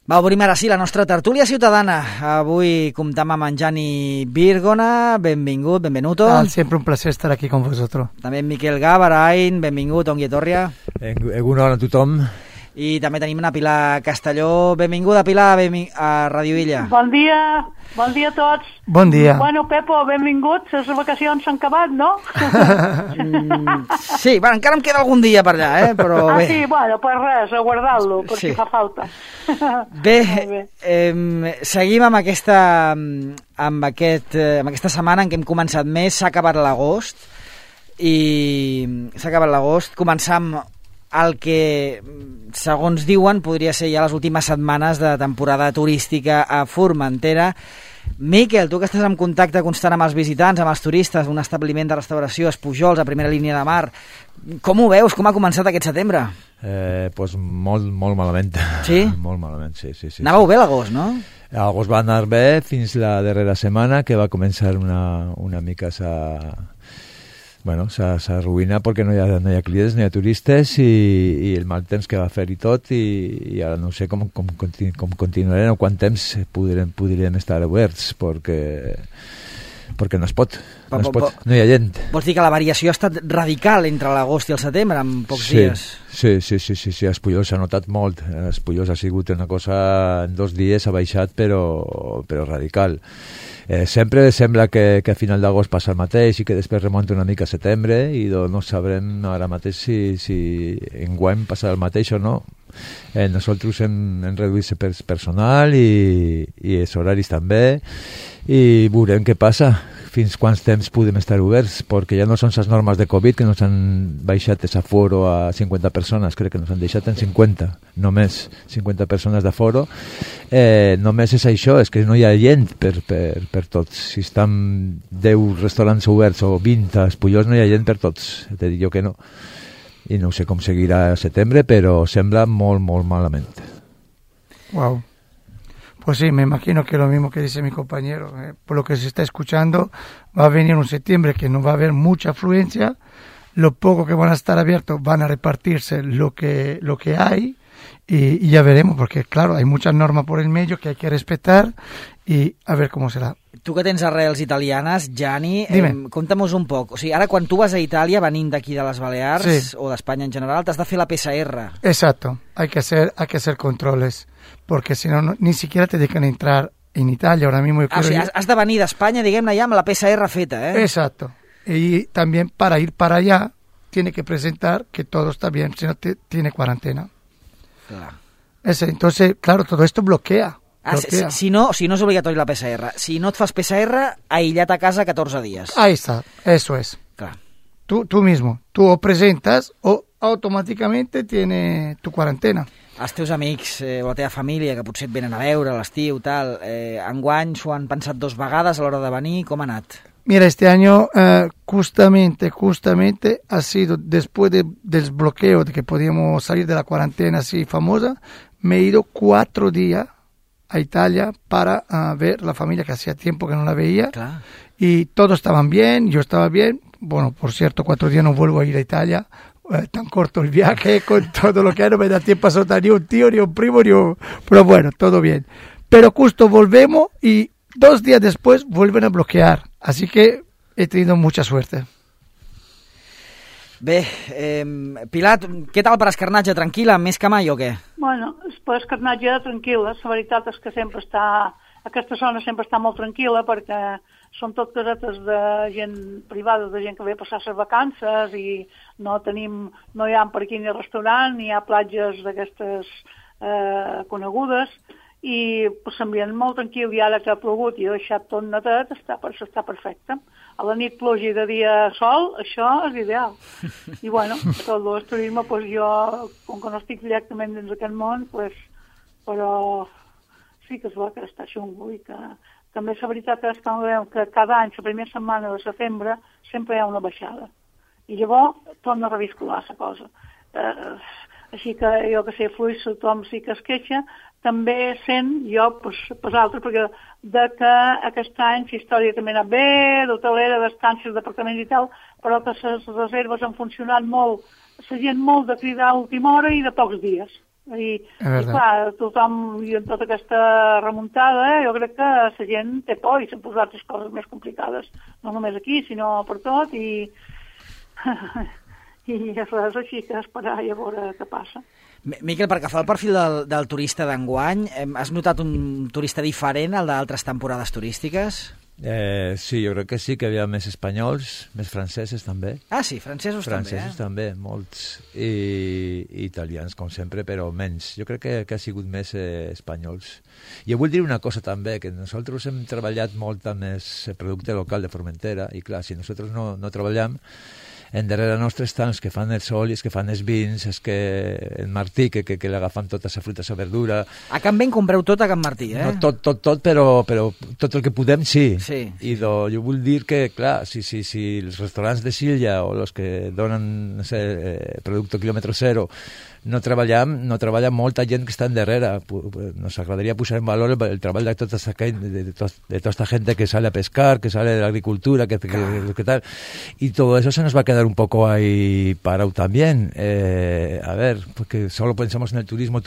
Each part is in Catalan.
Va, obrim ara sí la nostra tertúlia ciutadana. Avui comptam amb en Gianni Virgona. Benvingut, benvenuto. Siempre un placer estar aquí con vosotros. També en Miquel Gavarain. Benvingut, ongi etorria. Egunon a tothom. I també tenim una Pilar Castelló. Benvinguda, Pilar, a Radio Illa. Bon dia a tots. Bon dia. Bueno, Pepo, benvinguts. Les vacacions s'han acabat, no? Sí, bueno, encara em queda algun dia per allà, però bé. Sí, bueno, pues res, a guardar-lo, perquè fa falta. Bé, seguim amb aquesta setmana en què hem començat més. S'ha acabat l'agost començar amb el que, segons diuen, podria ser ja les últimes setmanes de temporada turística a Formentera. Miquel, tu que estàs en contacte constant amb els visitants, amb els turistes, un establiment de restauració, Espujols, a primera línia de mar, com ho veus? Com ha començat aquest setembre? Pues molt malament. Sí? Molt malament, sí. Anàveu bé l'agost, no? L'agost va anar bé fins la darrera setmana, que va començar una mica s'arruïna perquè no hi ha clients, no hi ha turistes i el mal temps que va fer i tot i ara no sé com continuarem o quant temps podríem estar oberts perquè no es pot, no hi ha gent. Vols dir que la variació ha estat radical entre l'agost i el setembre en pocs dies? Sí, a Espujols s'ha notat molt. A Espujols ha sigut una cosa, en 2 dies ha baixat però radical. Sempre sembla que a final d'agost passa el mateix i que després remunta una mica a setembre i no sabrem ara mateix si enguany passarà el mateix o no. Nosaltres hem reduït personal i els horaris també i veurem què passa, fins quants temps podem estar oberts, perquè ja no són les normes de Covid que nos han baixat l'aforo a 50 persones, crec que nos han deixat en 50, només 50 persones d'aforo. Només és això, és que no hi ha gent per tots. Si estan 10 restaurants oberts o 20 a Espujols no hi ha gent per tots, te dic jo que no. I no sé com seguirà a setembre, però sembla molt malament. Wow. Pues sí, me imagino que lo mismo que dice mi compañero, por lo que se está escuchando, va a venir un septiembre que no va a haber mucha afluencia, lo poco que van a estar abiertos van a repartirse lo que hay y ya veremos, porque claro, hay muchas normas por el medio que hay que respetar y a ver cómo será. Tu que tens arrels italianes, Gianni, conta'm-nos un poc. O sigui, ara quan tu vas a Itàlia, venint d'aquí de les Balears o d'Espanya en general, t'has de fer la PCR. Exacto, hay que hacer controles, porque si no, ni siquiera te dejan entrar en Italia. Ahora mismo O sigui, has de venir d'Espanya, diguem-ne, ja amb la PCR feta, Exacto. Y también para ir para allá, tiene que presentar que todo está bien, si no tiene cuarentena. Claro. Entonces, claro, todo esto bloquea. Si no és obligatori la PCR. Si no et fas PCR, aïllat a casa 14 dies. Ahí está, eso es. Clar. Tú mismo, tú o presentas o automáticamente tiene tu cuarentena. Els teus amics o la teva família, que potser et venen a veure a l'estiu, tal, enguany s'ho han pensat 2 vegades a l'hora de venir, com ha anat? Mira, este año justamente ha sido después del bloqueo de que podíamos salir de la cuarentena así famosa, me he ido 4 días a Italia para ver la familia que hacía tiempo que no la veía. Claro. Y todos estaban bien, yo estaba bien. Bueno, por cierto, 4 días no vuelvo a ir a Italia. Tan corto el viaje, con todo lo que hay, no me da tiempo a soltar ni un tío, ni un primo, pero bueno, todo bien. Pero justo volvemos y 2 días después vuelven a bloquear. Así que he tenido mucha suerte. Bé, Pilar, què tal per escarnatge? Tranquil·la, més que mai o què? Bueno, per escarnatge tranquil·la. La veritat és que aquesta zona sempre està molt tranquil·la perquè són tot casetes de gent privada, de gent que ve a passar les vacances i no hi ha per aquí ni restaurant, ni hi ha platges d'aquestes conegudes i s'ambient molt tranquil i ara que ha plogut i ha deixat tot netet està perfecte. A la nit pluja i de dia sol, això és ideal. I bueno, tot el turisme, jo, com que no estic directament dins d'aquest món, però sí que és bo que està xungo i que també la veritat és que cada any, la primera setmana de setembre, sempre hi ha una baixada. I llavors torna a reviscular la cosa. Així que jo que sé, fluix, tothom sí que es queixa, també sent jo, per altres, perquè de que aquest any la història també ha anat bé, d'hotelera, d'estàncies, d'apartaments i tal, però que les reserves han funcionat molt, la gent molt de cridar a última hora i de pocs dies. I clar, tothom, i en tota aquesta remuntada, jo crec que la gent té por i s'han posat les coses més complicades, no només aquí, sinó per tot, i res, així que esperar i a veure què passa. Miquel, perquè fa el perfil del turista d'enguany, has notat un turista diferent al d'altres temporades turístiques? Sí, jo crec que sí, que hi havia més espanyols, més francesos també. Ah, sí, francesos també, Francesos també, molts, i italians, com sempre, però menys. Jo crec que ha sigut més espanyols. Jo vull dir una cosa també, que nosaltres hem treballat molt amb el producte local de Formentera, i clar, si nosaltres no treballem, en darrere nostre estan els que fan els olis, que fan els vins, els que el Martí, que l'agafen tota la fruita, la verdura. A Can Ben compreu tot a Can Martí, eh? No tot, però tot el que podem sí. I jo vull dir que, clar, si els restaurants de Silla o els que donen producte quilòmetre zero no treballa molta gent que està darrere. Nos agradaria posar en valor el treball de tota esta gente que sale a pescar, que sale de la agricultura, que tal. Y todo eso se nos va a quedar un poco ahí parado también. A ver, porque solo pensamos en el turismo,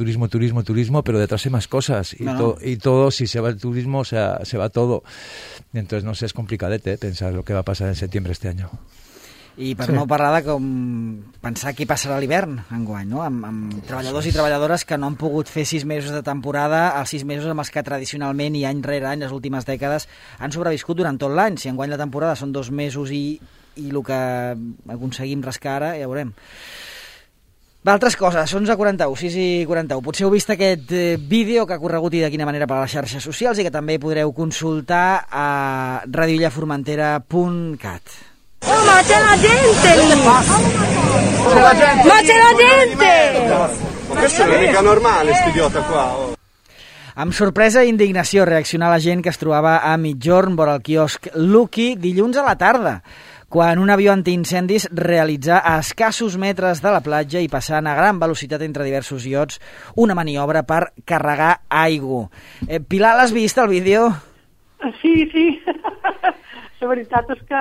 pero detrás hay más cosas. Y todo, si se va el turismo, o sea, se va todo. Entonces, no sé, es complicadete pensar lo que va a pasar en septiembre este año. I per no parlar de com pensar què passarà a l'hivern enguany, no? Amb treballadors i treballadores que no han pogut fer 6 mesos de temporada, els 6 mesos amb els que tradicionalment i any rere any, les últimes dècades, han sobreviscut durant tot l'any. Si enguany la temporada són 2 mesos i el que aconseguim rascar ara, ja veurem. Va, altres coses, 11:41, 6:41. Potser heu vist aquest vídeo que ha corregut i de quina manera per les xarxes socials i que també podreu consultar a radioillaformentera.cat. Oh, ma c'è la gente lì! Ma c'è la gente! Questo non è mica normale, sto idiota qua. Amb sorpresa i indignació reaccionar la gent que es trobava a Migjorn vora el quiosc Lucky dilluns a la tarda, quan un avió antiincendis realitzà a escassos metres de la platja i passant a gran velocitat entre diversos iots una maniobra per carregar aigua. Pilar, l'has vist, el vídeo? Sí. La veritat és que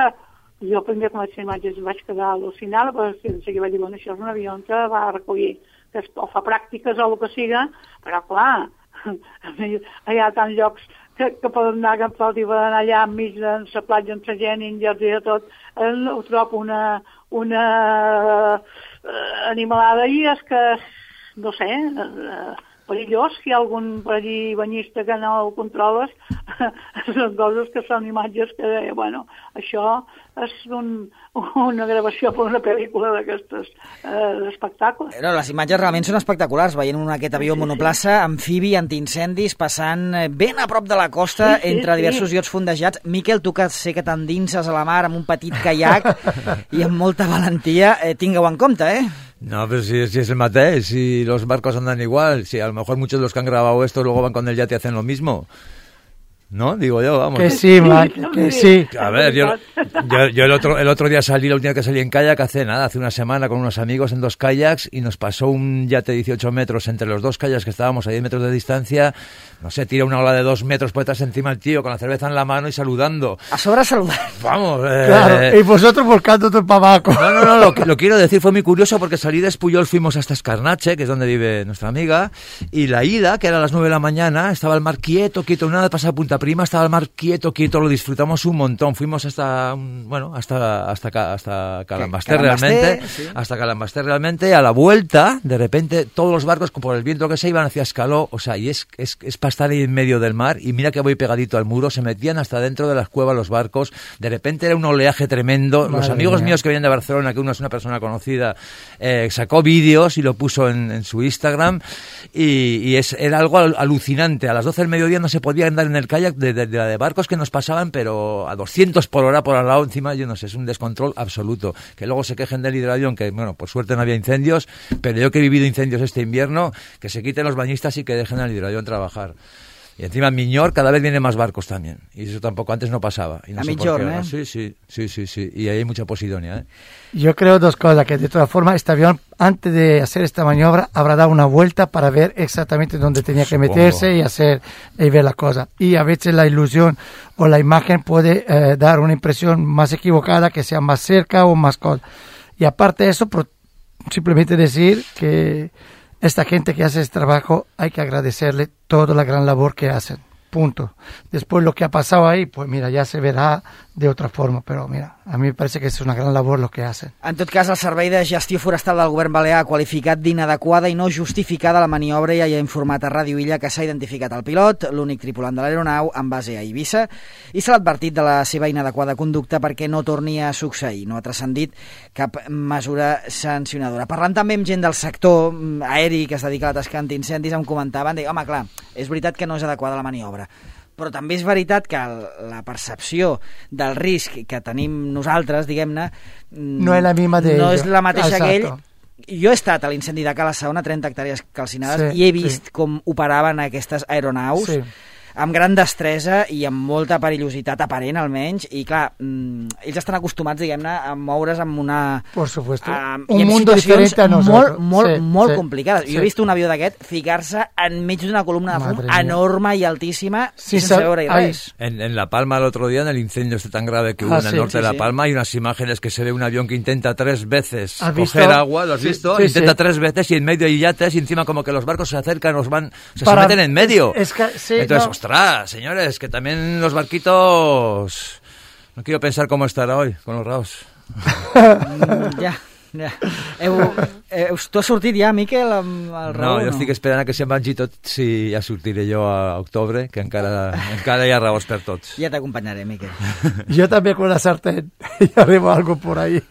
jo primer com vaig fer imatges vaig quedar al·lucinada, però de seguida vaig dir, bueno, això és un avió que va recollir, que o fa pràctiques o el que siga, però clar, hi ha tants llocs que poden anar, que poden anar allà enmig de la platja, amb la gent, i de tot, ho trobo una animalada i és que, no sé, perillós, si hi ha algun per allí banyista que no el controles, són coses que són imatges que, bueno, això és una gravació per una pel·lícula d'aquestes d'espectacle. No, les imatges realment són espectaculars, veient aquest avió monoplaça, amfibi, antiincendis, passant ben a prop de la costa, entre diversos iots fondejats. Miquel, tu que sé que t'endinses a la mar amb un petit caiac i amb molta valentia, tingueu en compte, eh? No, pero si es el mateix, si los barcos andan igual, si a lo mejor muchos de los que han grabado esto luego van con el yate y hacen lo mismo. ¿No? Digo yo, vamos. Que sí, Mike, que sí. A ver, yo el otro día salí, la última que salí en kayak hace una semana con unos amigos en 2 kayaks y nos pasó un yate de 18 metros entre los 2 kayaks que estábamos a 10 metros de distancia. No sé, tira una ola de 2 metros por detrás encima el tío con la cerveza en la mano y saludando. A sobra saludar. Vamos. Claro, y vosotros volcando todo para abajo. No, lo quiero decir, fue muy curioso porque salí de Espuyol, fuimos hasta Escarnache, que es donde vive nuestra amiga, y la ida, que era a las 9 de la mañana, estaba el mar quieto, nada de pasar a Punta Prima, estaba el mar quieto, lo disfrutamos un montón. Fuimos hasta Calambasté realmente, sí. Hasta Calambasté realmente. A la vuelta, de repente, todos los barcos, por el viento que se iban hacia Escaló, o sea, y es para estar ahí en medio del mar, y mira que voy pegadito al muro, se metían hasta dentro de las cuevas los barcos, de repente era un oleaje tremendo. Madre los amigos míos que venían de Barcelona, que uno es una persona conocida, sacó vídeos y lo puso en su Instagram, y era algo alucinante. A las 12 del mediodía no se podía andar en el kayak de barcos que nos pasaban, pero a 200 por hora por al lado, encima, yo no sé, es un descontrol absoluto. Que luego se quejen del hidroavión, que bueno, por suerte no había incendios, pero yo que he vivido incendios este invierno, que se quiten los bañistas y que dejen al hidroavión trabajar. Y encima en Miñor cada vez vienen más barcos también. Y eso tampoco antes no pasaba. Y no a sé Migjorn, por qué. Sí. Y ahí hay mucha posidonia, ¿eh? Yo creo 2 cosas, que de todas formas este avión, antes de hacer esta maniobra, habrá dado una vuelta para ver exactamente dónde tenía que meterse y ver la cosa. Y a veces la ilusión o la imagen puede dar una impresión más equivocada, que sea más cerca o más cosa. Y aparte de eso, simplemente decir que esta gente que hace este trabajo hay que agradecerle toda la gran labor que hacen. Punto. Después lo que ha pasado ahí, pues mira, ya se verá de otra forma, però mira, a mi me parece que és una gran labor lo que hacen. En tot cas, el Servei de Gestió Forestal del Govern Balear ha qualificat d'inadequada i no justificada la maniobra i ha informat a Ràdio Illa que s'ha identificat el pilot, l'únic tripulant de l'aeronau, en base a Eivissa, i se l'ha advertit de la seva inadequada conducta perquè no torni a succeir. No ha transcendit cap mesura sancionadora. Parlant també amb gent del sector aeri que es dedica a la tasca antiincendis, em comentaven, home, clar, és veritat que no és adequada la maniobra, però també és veritat que la percepció del risc que tenim nosaltres, diguem-ne, no és la misma de no és la mateixa Exacto. que ell. Jo he estat a l'incendi de Cala Saona, 30 hectàrees calcinades, Sí, i he vist com operaven aquestes aeronaus, Sí. amb gran destresa i amb molta perillositat aparent, almenys, i clar, ells estan acostumats, diguem-ne, a moure's amb una... Por supuesto. I Un en mundo situacions diferente a nosotros. molt Sí, complicades. sí. Jo he vist un avió d'aquest ficar-se enmig d'una columna de fum Madre mía. enorme i altíssima, Sí, sense veure-hi ay, res. En La Palma el otro día, en el incendio tan grave que hubo en el sí, norte sí, de La sí. Palma, hay unas imágenes que se ve un avión que intenta 3 veces ¿Has coger visto? agua, ¿lo has Sí, visto? sí, Intenta sí. 3 veces y en medio hay yates y encima como que los barcos se acercan, se Para- meten en medio. es que- sí, Entonces, no. ostras, señores, que también los barquitos... No quiero pensar cómo estará hoy con los raos. Ja. Tu has sortit ja, Miquel, amb el No, Raül? jo estic esperant a que se'n vagi tots i ja sortiré jo a octubre, que encara hi ha raons per tots. Ja t'acompanyaré, Miquel. Yo también con la sartén. Y arriba algo por ahí.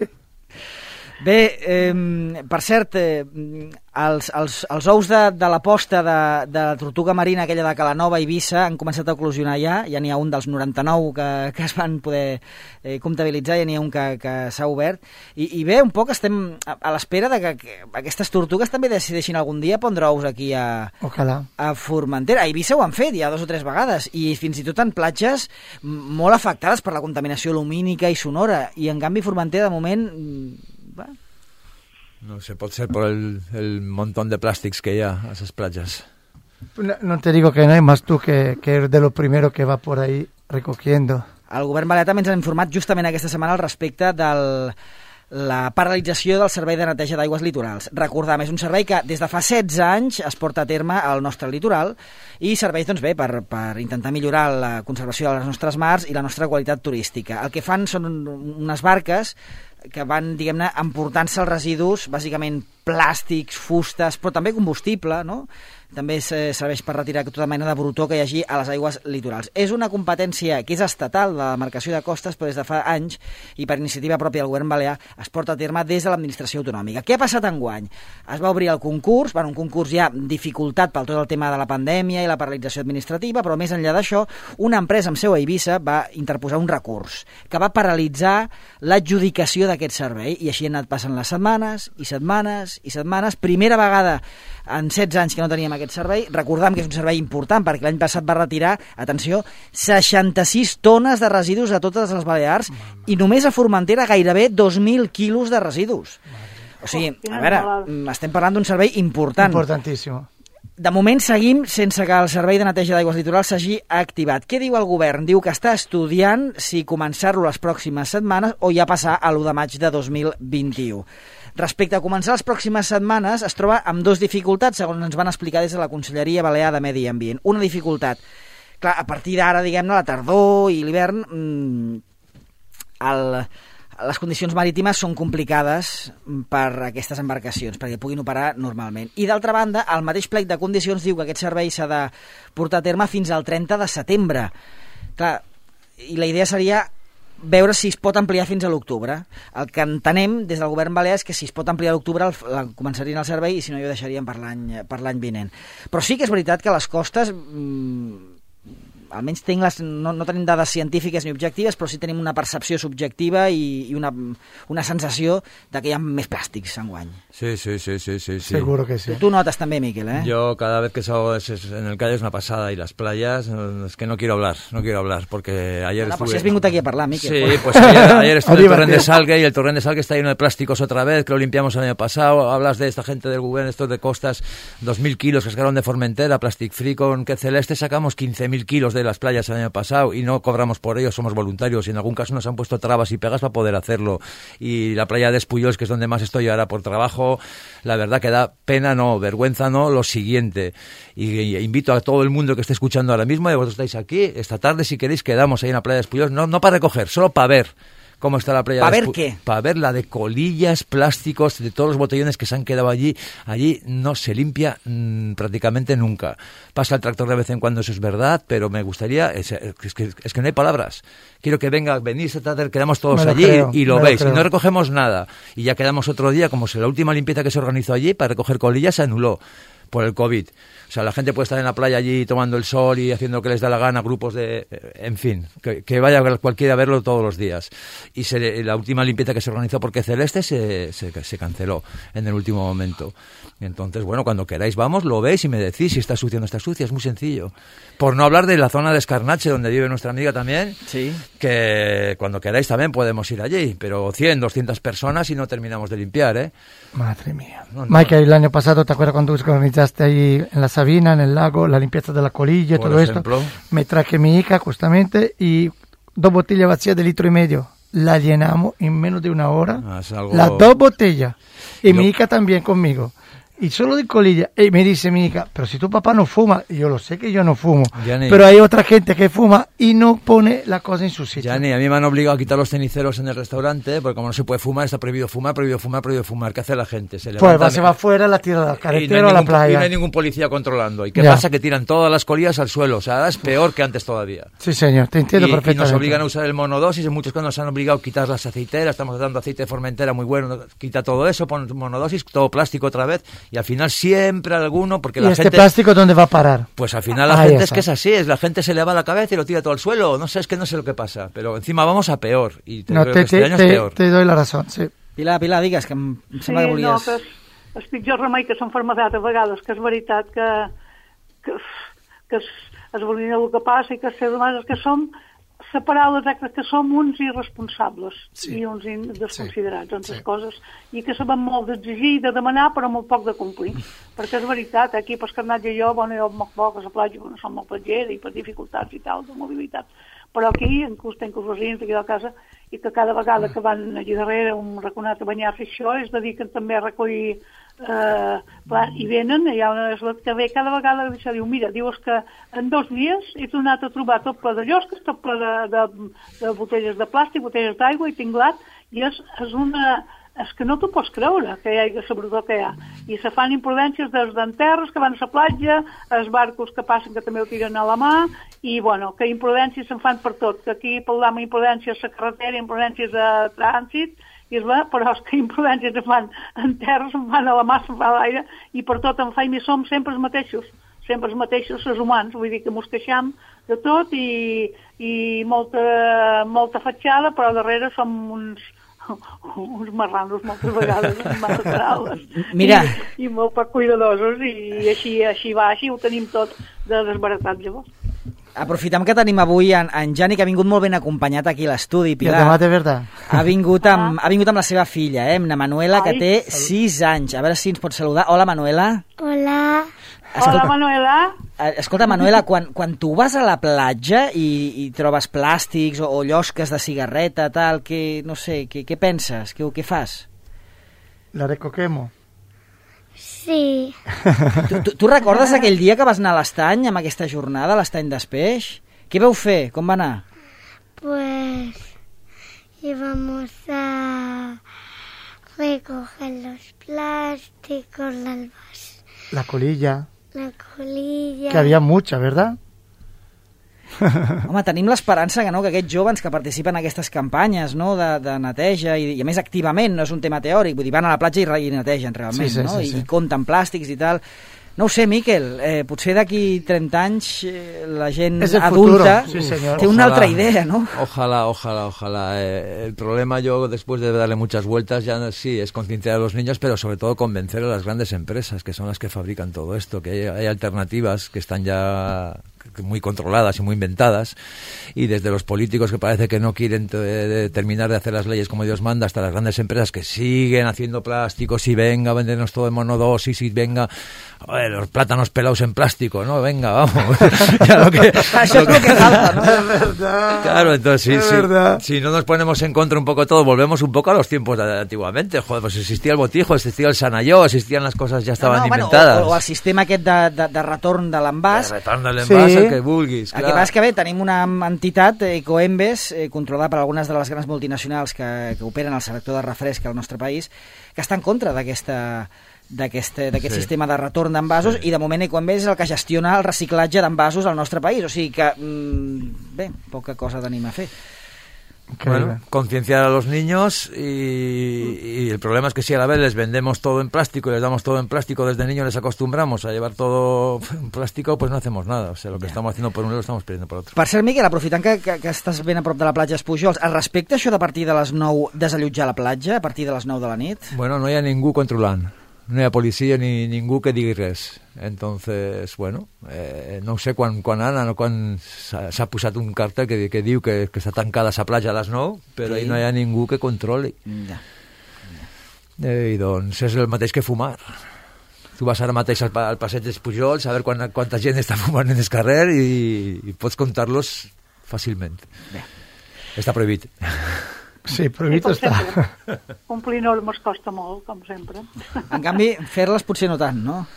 Bé, per cert, els ous de la posta de la tortuga marina, aquella de Calanova i Eivissa, han començat a eclosionar ja n'hi ha un dels 99 que es van poder comptabilitzar, ja n'hi ha un que s'ha obert, i bé, un poc estem a l'espera de que aquestes tortugues també decideixin algun dia pondre ous aquí a Formentera. A Eivissa ho han fet ja 2 o 3 vegades, i fins i tot en platges molt afectades per la contaminació lumínica i sonora, i en canvi Formentera de moment... No sé, pot ser por el montón de plàstics que hi ha a esas playas. No te digo que no hay más tú que eres de lo primero que va por ahí recogiendo. El govern balear també ens ha informat justament aquesta setmana al respecte de la paralització del servei de neteja d'aigües litorals. Recordem, és un servei que des de fa 16 anys es porta a terme al nostre litoral i serveix doncs, bé per intentar millorar la conservació de les nostres mars i la nostra qualitat turística. El que fan són unes barques que van, diguem-ne, emportant-se els residus, bàsicament plàstics, fustes, però també combustible, no? També serveix per retirar tota mena de brutó que hi hagi a les aigües litorals. És una competència que és estatal de la demarcació de costes, però des de fa anys, i per iniciativa pròpia del govern balear, es porta a terme des de l'administració autonòmica. Què ha passat enguany? Es va obrir el concurs, un concurs ja dificultat pel tot el tema de la pandèmia i la paralització administrativa, però més enllà d'això, una empresa amb seu a Eivissa va interposar un recurs que va paralitzar l'adjudicació d'aquest servei, i així han anat passant les setmanes i setmanes i setmanes. Primera vegada en 16 anys que no teníem aquest servei. Recordem que és un servei important perquè l'any passat va retirar, atenció, 66 tones de residus a totes les Balears i només a Formentera gairebé 2.000 quilos de residus. O sigui, a veure, estem parlant d'un servei important. Importantíssim. De moment seguim sense que el servei de neteja d'aigües litorals s'hagi activat. Què diu el govern? Diu que està estudiant si començar-lo les pròximes setmanes o ja passar a l'1 de maig de 2021. Respecte a començar les pròximes setmanes, es troba amb 2 dificultats, segons ens van explicar des de la Conselleria Balear de Medi Ambient. Una dificultat, clar, a partir d'ara, diguem-ne, la tardor i l'hivern, les condicions marítimes són complicades per aquestes embarcacions, perquè puguin operar normalment. I d'altra banda, el mateix plec de condicions diu que aquest servei s'ha de portar a terme fins al 30 de setembre. Clar, i la idea seria veure si es pot ampliar fins a l'octubre. El que entenem des del govern balear és que si es pot ampliar a l'octubre començarien el servei i si no ho deixarien per l'any vinent. Però sí que és veritat que les costes... almenys no tenim dades científiques ni objectives, però sí tenim una percepció subjectiva i una sensació de que hi ha més plàstics enguany. Sí. Seguro que sí. Tu notes també, Miquel, ¿eh? Yo cada vez que salgo en el calle es una pasada, y las playas, es que no quiero hablar, porque ayer estuve... Pues si has vingut aquí a parlar, Miquel. Sí, pues ayer estuve en el Torrent de Salgue y el Torrent de Salgue está lleno de plásticos otra vez, que lo limpiamos el año pasado. Hablas de esta gente del gobierno, estos de costas, 2.000 kilos que sacaron de Formentera, Plastic Free con que Celeste sacamos 15.000 kilos de las playas el año pasado y no cobramos por ello, somos voluntarios y en algún caso nos han puesto trabas y pegas para poder hacerlo. Y la playa de Espuyós, que es donde más estoy ahora por trabajo, la verdad que da pena, no, vergüenza, no, lo siguiente. Y invito a todo el mundo que esté escuchando ahora mismo, y vosotros estáis aquí, esta tarde si queréis quedamos ahí en la playa de Espuyós, no para recoger, solo para ver cómo está la playa. ¿Para ver qué? Para ver la de colillas, plásticos, de todos los botellones que se han quedado allí. Allí no se limpia prácticamente nunca. Pasa el tractor de vez en cuando, eso es verdad, pero me gustaría, es que no hay palabras. Quiero que venís esta tarde, quedamos todos allí y lo veis. Y no recogemos nada. Y ya quedamos otro día, como si la última limpieza que se organizó allí para recoger colillas se anuló por el COVID. O sea, la gente puede estar en la playa allí tomando el sol y haciendo lo que les da la gana, grupos de... En fin, que vaya cualquiera a verlo todos los días. Y la última limpieza que se organizó porque Celeste se canceló en el último momento. Entonces, bueno, cuando queráis vamos, lo veis y me decís si está sucia o no está sucia. Es muy sencillo. Por no hablar de la zona de Escarnache, donde vive nuestra amiga también, sí, que cuando queráis también podemos ir allí. Pero 100, 200 personas y no terminamos de limpiar, ¿eh? Madre mía. No. Michael, el año pasado, ¿te acuerdas cuando organizaste ahí en la Sabina, en el lago, la limpieza de la colilla y todo ejemplo, esto? Me traje mi hija justamente y 2 botellas vacías de 1,5 litros. La llenamos en menos de 1 hora. Las 2 botellas. Y mi hija también conmigo. Y solo de colilla. Y me dice mi hija, pero si tu papá no fuma, y yo lo sé que yo no fumo, pero hay otra gente que fuma y no pone la cosa en su sitio. Yani, a mí me han obligado a quitar los ceniceros en el restaurante, porque como no se puede fumar, está prohibido fumar. ¿Qué hace la gente? Se va afuera, la tira a la carretera o a la playa. Y no hay ningún policía controlando. ¿Y qué pasa? Que tiran todas las colillas al suelo. O sea, ahora es peor que antes todavía. Sí, señor, te entiendo perfectamente. Y nos obligan a usar el monodosis. En muchos casos nos han obligado a quitar las aceiteras. Estamos dando aceite de Formentera muy bueno. Quita todo eso, pon monodosis, todo plástico otra vez. Y al final siempre alguno, porque la gente... plástico dónde va a parar? Pues al final la gente es que es así, la gente se le va la cabeza y lo tira todo al suelo. No sé, es que no sé lo que pasa, pero encima vamos a peor. Y este año es peor. Te doy la razón, sí. Pilar, digues, que em sembla que volies... Sí, no, que és pitjor remei que s'enfermedat a vegades, que és veritat que es volien el que passa i que els seres humans que som separats exactes, que som uns irresponsables i uns desconsiderats en les coses, i que sabem molt d'exigir i de demanar però molt poc de complir, perquè és veritat, aquí per Escarnatge jo moc poc a la platja, no som molt platgera i per dificultats i tal, de mobilitat, però aquí inclús tenc els veïns d'aquí de casa i que cada vegada que van allà darrere un raconat a banyar-se això es dediquen també a recollir i venen, hi ha una eslet que ve cada vegada que diu, mira, dius que en 2 dies he tornat a trobar tot ple de llosques, tot ple de botelles de plàstic, botelles d'aigua i tinglat, i és que no t'ho pots creure que hi hagi sobretot que hi ha, i se fan imprudències dels d'enterres que van a la platja, els barcos que passen que també ho tiren a la mà, i bueno, que imprudències se'n fan per tot, que aquí parlam imprudències a la carretera, imprudències a trànsit, i però és que imprudències se'n fan en terra, se'n fan a la mà, se'n fan a l'aire, i per tot en feina som sempre els mateixos, els humans, vull dir que mos queixam de tot i molta fatxada, però darrere som uns marranos moltes vegades, massa paraules. Mira. I molt poc cuidadosos, i així va, així ho tenim tot de desbaratat, llavors. Aprofitem que tenim avui en Jani, que ha vingut molt ben acompanyat aquí a l'estudi, Pilar. De verdad. Ha vingut amb la seva filla, amb la Manuela, que té 6 anys. A veure si ens pot saludar. Hola, Manuela. Hola. Hola, Manuela. Escolta, Manuela, quan tu vas a la platja i trobes plàstics o llosques de cigarreta, tal, no sé, què penses? Què fas? La recoquemo. Sí. Tu recordes aquell dia que vas anar a l'estany, amb aquesta jornada, l'estany d'Espeix? Què vau fer? Com va anar? Pues íbamos a recoger los plásticos, la colilla. La colilla. Que había mucha, ¿verdad? Home, tenim l'esperança que aquests joves que participen en aquestes campanyes, no, de neteja, i a més activament, no és un tema teòric, vull dir, van a la platja i netegen realment, sí, no? Sí. I compten plàstics i tal. No ho sé, Miquel, potser d'aquí 30 anys la gent adulta té una altra idea, ¿no? Ojalá. El problema yo, después de darle muchas vueltas, ya sí, es concienciar a los niños, pero sobre todo convencer a las grandes empresas, que son las que fabrican todo esto, que hay alternativas que están ya muy controladas y muy inventadas, y desde los políticos que parece que no quieren terminar de hacer las leyes como Dios manda, hasta las grandes empresas que siguen haciendo plásticos y venga, vendernos todo en monodosis y venga, los plátanos pelados en plástico, ¿no? Venga, vamos. Ya lo que falta, ¿no? Es verdad. Claro, entonces verdad. si no nos ponemos en contra un poco todo, volvemos un poco a los tiempos de antiguamente. Joder, pues existía el botijo, existía el sanalló, existían las cosas, ya estaban inventadas. O el sistema aquest de retorn de l'envàs. De retorn de l'envàs, el que vulguis, clar. El que passa és que bé, tenim una entitat, Ecoembes, controlada per algunes de les grans multinacionals que operen al sector de refresc al nostre país, que està en contra d'aquest sistema de retorn d'envasos, i de moment Ecoembes és el que gestiona el reciclatge d'envasos al nostre país, o sigui que bé, poca cosa tenim a fer. Bueno, concienciar a los niños y el problema es que si a la vez les vendemos todo en plástico y les damos todo en plástico desde niños, les acostumbramos a llevar todo en plástico, pues no hacemos nada. O sea, lo que estamos haciendo por un lado lo estamos perdiendo por otro. Per cert, Miquel, aprofitant que estàs ben a prop de la platja Espujols, es respecta això de a partir de les 9 desallotjar la platja, a partir de les 9 de la nit? Bueno, no hi ha ningú controlant. No hi ha policia ni ningú que digui res. Entonces, bueno, no sé quan s'ha posat un cartel que diu que està tancada la platja a les 9, però ahí no hi ha ningú que controli. I doncs és el mateix que fumar. Tu vas ara mateix al passeig dels Pujols a veure quanta gent està fumant en el carrer i pots comptar-los fàcilment. Està prohibit. Sí, prohibit està. Complir normes costa molt, com sempre. En canvi, fer-les potser no tant, no?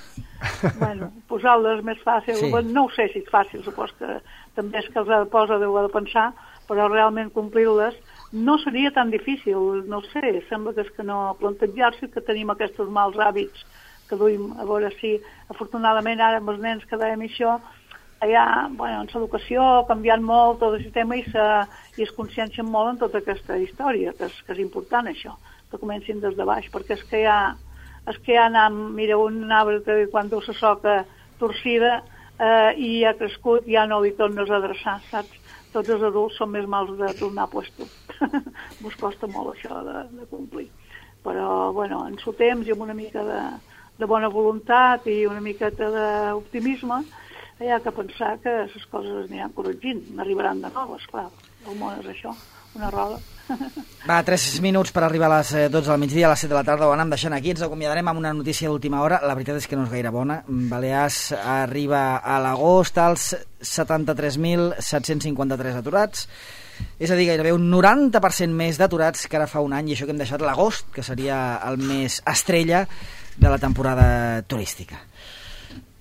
Bueno, posar-les més fàcil. Sí. No ho sé si és fàcil, supos que també és que els ha de posar, deu de pensar, però realment complir-les no seria tan difícil, no sé, sembla que és que no plantejar-se que tenim aquests mals hàbits que duim, a veure si afortunadament ara amb els nens que dèiem això, allà, bueno, en l'educació ha canviat molt tot el sistema i es consciencien molt en tota aquesta història, que és important això, que comencin des de baix, perquè és que ja mira, un arbre que quan du la soca torcida i ha crescut ja no li tornes a adreçar, saps? Tots els adults són més mals de tornar a puesto. Us costa molt això de complir. Però, bueno, en el temps i amb una mica de bona voluntat i una miqueta d'optimisme, hi ha que pensar que les coses es aniran corregint, n'arribaran de noves, clar. El món és això, una roda. Va, 3 minuts per arribar a les 12 del migdia, a les 7 de la tarda ho anem deixant aquí. Ens acomiadarem amb una notícia d'última hora. La veritat és que no és gaire bona. Balears arriba a l'agost als 73.753 aturats. És a dir, gairebé un 90% més d'aturats que ara fa un any, i això que hem deixat l'agost, que seria el mes estrella de la temporada turística.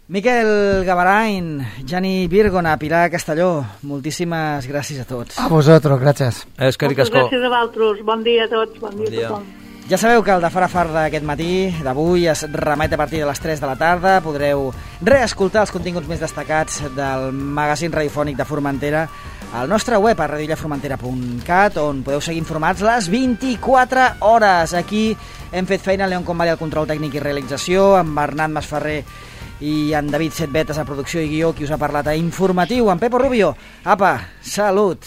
Miquel Gavarain, Jani Virgona, Pilar Castelló, moltíssimes gràcies a tots. A vosaltres, gràcies. Moltes gràcies a vosaltres. Bon dia a tots, bon dia a tothom. Ja sabeu que el de Fara Far d'aquest matí, d'avui, es remet a partir de les 3 de la tarda. Podreu reescoltar els continguts més destacats del magazín radiofònic de Formentera al nostre web, a radiollaformentera.cat, on podeu seguir informats les 24 hores. Aquí hem fet feina, León Convali al control tècnic i realització, amb Bernat Masferrer i en David Setbetes a producció i guió, qui us ha parlat a Informatiu, en Pepo Rubio. Apa, salut!